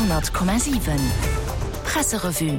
100,7 Presserevue.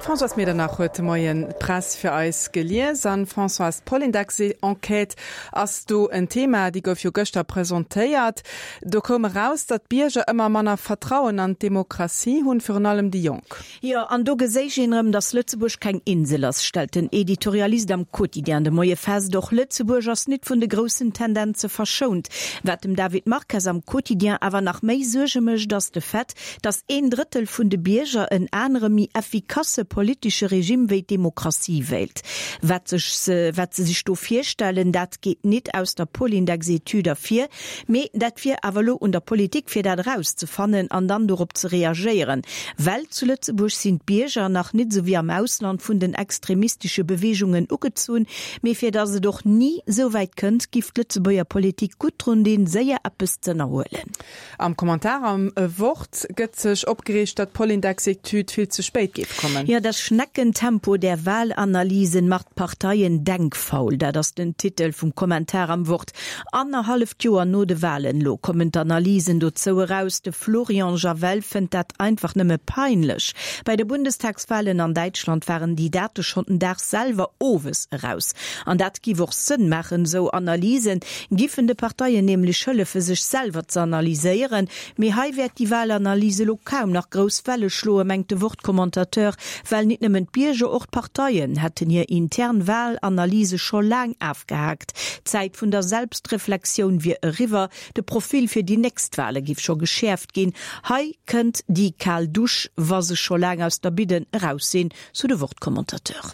D'Françoise Medernach huet de Moien d'Press fir eis gelies. An, Françoise, d'Polindex-Enquête ass do en Thema, déi gouf jo gëschter presentéiert. Do koum eraus, datt d'Bierger ëmmer manner Vertrauen an d'Demokratie hunn, virun allem déi Jonk. Jo, an do geséich een erëm, datt Lëtzebuerg keng Insel ass, stellt den Editorialist am Quotidien de Moie fest. Och Lëtzebuerg ass nit vun de groussen Tendenze verschount. Wat dem David Marques am Quotidien awer nach méi Suerge mécht, ass de Fait, datt een Drëttel vun de Bierger en anere, méi effikasse politesche Regime wéi d'Demokratie wéilt. Wat sech wat se sech do virstellen, dat geet nit aus der Polindex-Etüd ervir. Mee dat wier awer elo un der Politik fir dat erauszefannen an dann dorop ze reagéieren. Well zu Lëtzebuerg sinn d'Bierger nach nit esou wéi am Ausland vun den extremistesche Beweegungen ugezunn. Mee fir datt et och ni esou wäit kënnt, giff d'Lëtzebuerger Politik gutt drun dinn, séier eppes z'ënnerhuelen. Am Kommentar am Wort gëtt sech opgereegt, datt d'Polindex-Etüd vill ze spéit géif kommen. Jo, das Schneckentempo der Wahlanalysen macht Parteien denkfaul, dat ass den Titel vum Kommentar am Wort. Annerhalleft Joer no de Wahlen elo kommen d'Analysen dozou eraus. De Florian Javel fënnt dat einfach nëmme peinlech. Bei de Bundestagswahlen an Däitschland waren déi Date schonn den Dag selwer owes eraus. An dat giff och Sënn maachen. Esou Analysen giffen de Parteien nämlech hëllefe sech selwer ze analyséieren. Mee hei wäert déi Wahlanalyse elo kaum nach grouss Welle schloen, mengt de Wort-Commentateur, well nit nëmmen d'Bierger, och d'Parteien hätten hir intern Wahlanalyse scho laang afgehaakt. D'Zäit vun der Selbstreflexioun wier eriwwer, de Profil fir déi nächst Wahle giff scho geschäerft ginn. Hei kënnt déi kal Dusch, wa se scho laang aus der Bidden eraus sinn, sou de Wort-Commentateur.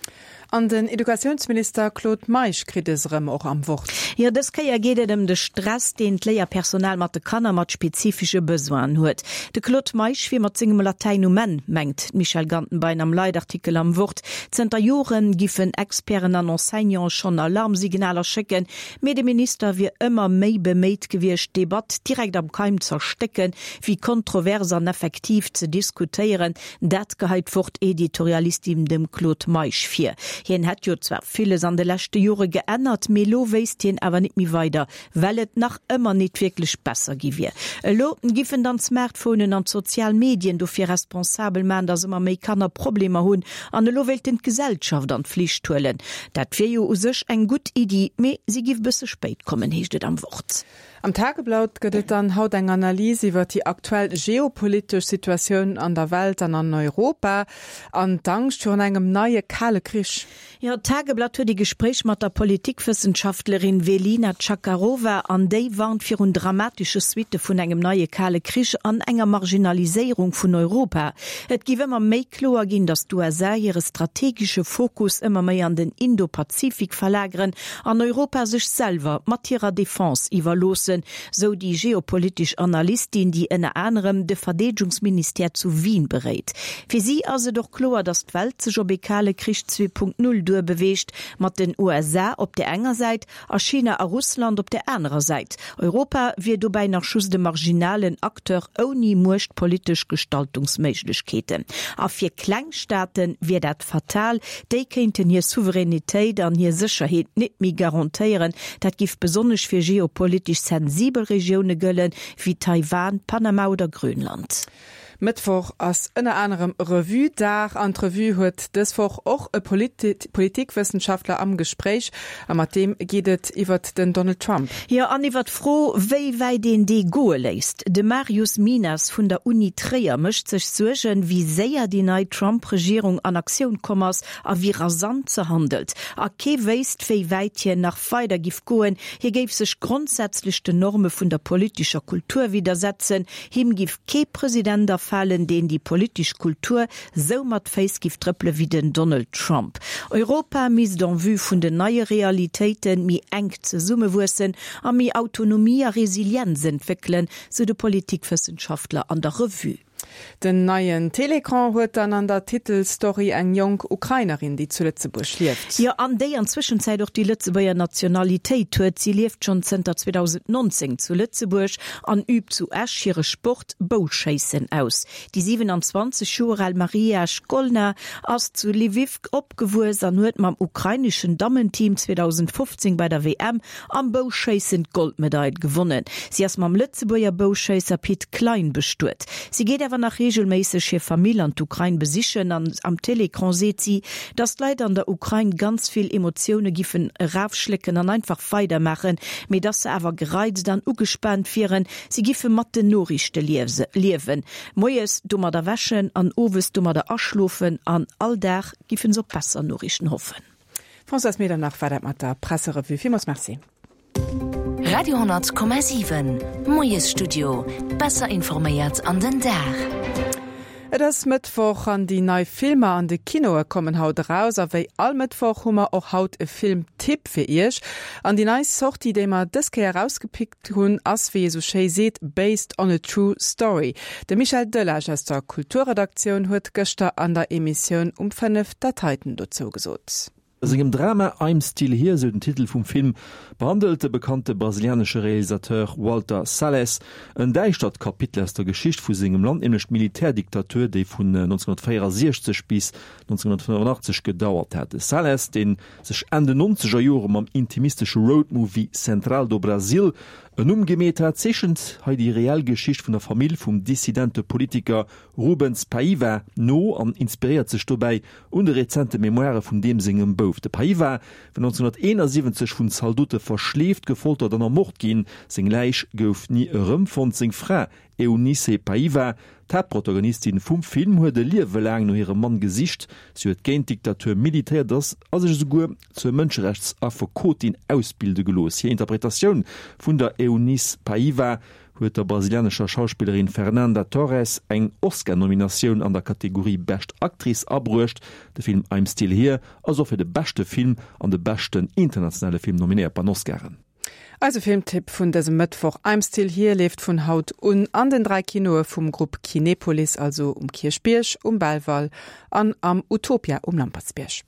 An den Educatiounsminister Claude Meisch kritt es erëm och am Wort. Jo, dës Kéier geet et ëm de Stress, deen d'Léierpersonal mat de Kanner mat spezifesche Besoinen huet. De Claude Meisch wier mat sengem Latäin um Enn, mengt d'Michèle Gantenbein am Leitartikel am Wort. Zënter Jore giffen Experten an Enseignante schonn Alarmsignaler schécken, mee de Minister wier ëmmer méi beméit gewiescht, d'Debatt direkt am Keim z'erstécken, wéi kontrovers an effektiv ze diskutéieren. Dat geheit d'Wort-Editorialistin dem Claude Meisch vir. Hien hätt jo zwar villes an de leschte Jore geännert, mee elo wéisst hien awer nit méi weider, well et nach ëmmer nit wierklech besser gi wier. Elo giffen dann d'Smartphonen an d'sozial Medien dofir responsabel man, dass ëmmer méi Kanner Problemer hunn an elo wéilten d'Gesellschaft an d'Flicht huelen. Dat wier jo u sech eng gutt Iddi, mee si giff bësse spéit kommen, heescht et am Wort. Am Tageblatt gëtt et dann haut eng Analys iwwer déi aktuell geopolitesch Situatioun an der Welt an an Europa an d'Angscht virun engem neie Kale Krich. Jo, d'Tageblatt huet ee Gespréich mat der Politikwëssenschaftlerin Velina Tchakarova an déi warnt virun dramatesche Suitte vun engem neie Kale Krich an enger Marginaliséierung vun Europa. Et géif ëmmer méi kloer ginn, datt d'USA hire strategesche Fokus ëmmer méi an den Indo-Pazifik verlageren an Europa sech selwer mat hirer Defense iwwerloossen, sou déi geopolitesch Analystin, déi ënner anerem de Verdeedegungsministère zu Wien beréit. Fir si ass et och kloer, datt d'Welt sech op ee kale Krich 2.0 duerbeweegt, mat den USA op där enger Säit a China a Russland op där anerer Säit. Europa wier dobäi nach just e marginalen Acteur ouni muechtpolitesch Gestaltungsméiglechkeeten. A fir kleng Staate wier dat fatal, déi kéinten hir Souveränitéit an hir Sécherheet nit méi garantéieren. Dat giff besonnesch fir geopolitesch sensibel Regioune gëllen, wéi Taiwan, Panama oder Grönland. Mëttwoch ass ënner anerem Revue-Dag an d'Revue huet dës Woch och e Politikwëssenschaftler am Gespréich a mat deem geet et iwwert den Donald Trump. Jo, an iwwer d'Fro, wéi wäit een dee goe léisst. De Marius Minas vun der Uni Tréier mécht sech Suergen, wéi séier déi nei Trump-Regierung an Aktioun komm ass a wéi rasant se handelt. A kee wéisst, wéi wäit hien nach weider giff goen. Hie géif sech grondsätzlech den Norme vun der politescher Kultur widdersetzen. Him giff kee President afalen, deen déi politesch Kultur sou mat Féiss giff trëppele wéi den Donald Trump. Europa misst en vue vun den neie Realitéite méi enk zesummewuessen a méi Autonomie a Resilienz entwéckelen, sou de Politikwëssenschaftler an der Revue. Den neien Télécran huet dann an der Titelstory eng jonk Ukrainerin, déi zu Lëtzebuerg lieft. Jo, an déi an Zwëschenzäit och déi Lëtzebuerger Nationalitéit huet. Si lieft schonn zënter 2019 zu Lëtzebuerg an übt zu Esch hire Sport Bouschéissen aus. Déi 27 Joer al Mariia Shkolna ass zu Lwiw opgewuess an huet mam ukraineschen Dammenteam 2015 bei der WM Am Bouschéissen d'Goldmedail gewonnen. Si ass mam Lëtzebuerger Bouschéisser Pit Klein bestuet. Si geet awer nach reegelméisseg hir Famill an d'Ukrain besichen an am Télécran seet si, dass d'Leit an der Ukrain ganz vill Emotioune giffen erafschlécken an einfach weidermaachen, mee dass se awer gereizt an ugespaant wieren. Si giffe mat den Noriichte liewen, moies domadder wäschen an owes domadder aschlofen an all Dag giffen se op besser Noriichten hoffen. Françoise Medernach war dat mat der Presserevue. Villmools Merci. Radio 10,7 Moiesstudio. Besser informéiert an den Dag. Et ass Mëttwoch an déi nei Filmer an de Kinoe kommen haut eraus. A wéi all Mëttwoch hu mer och haut e Filmtipp fir iech. An déi nei Sortie, déi mer dës Kéier erausgepickt hunn, ass, wéi ee sou schéi seet, based on a true story. De Michel Delage aus der Kulturredaktioun huet gëschter an der Emissioun um 5 dat heiten dozou gesot. A sengem Drama I'm Still Here, sou den Titel vum Film, behandelt de bekannte brasilianesche Realisateur Walter Salles en däischtert Kapitel aus der Geschicht vu sengem Land, nämlech d'Militärdiktatur, déi vun 1964 bis 1985 gedauert hat. De Salles, dee sech Enn den nonzeger Jore mam intimistesche Roadmovie Central do Brasil en Numm gemeet hat, zeechent hei déi reell Geschicht vun der Famill vum dissidente Politiker Rubens Paiva no an inspiréiert sech dobäi un de rezente Memoire vun deem sengem Bouf. De Paiva war 1971 vun Zaldote verschleeft, gefoltert an ermort ginn. Seng Läich gouf ni erëmfonnt. Seng Fra Eunice Paiva, d'Haaptprotagonistin vum Film, huet e Liewe laang no hirem Mann gesicht. Si huet géint d'Diktatur militéiert ass a sech esouguer zur Mënscherechtsaffekotin ausbilde gelooss. Hir Interpretatioun vun der Eunice Paiva huet der brasilianescher Schauspillerin Fernanda Torres eng Oscar-Nominatioun an der Kategorie Bescht Actrice abruecht. De Film I'm Still Here ass och fir de beschte Film an de beschten internationale Film nominéiert bei den Oscaren. Eise Filmtipp vun dësem Mëttwoch, I'm Still Here leeft vun haut un an den 3 Kinoe vum Grupp Kinepolis, also um Kierchbierg, um Belval an am Utopia um Lampertsbierg.